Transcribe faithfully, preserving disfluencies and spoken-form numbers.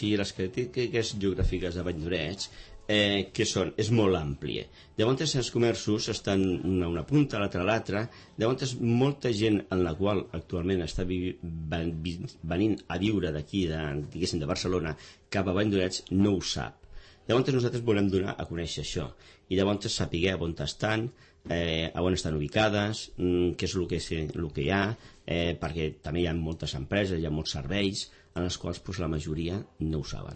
sigui, les característiques geogràfiques de Valldoreix, eh, que són, és molt àmplia. Llavors els comerços estan una, una punta, l'altra a l'altra, llavors molta gent en la qual actualment està vi, ven, venint a viure d'aquí, de, diguéssim, de Barcelona, cap a Valldoreix, no ho sap. Llavors nosaltres volem donar a conèixer això, i llavors sapiguer on estan, eh, on estan ubicades, mm, què és el que, el que hi ha, eh, perquè també hi ha moltes empreses, hi ha molts serveis, en els quals pues, la majoria no ho saben.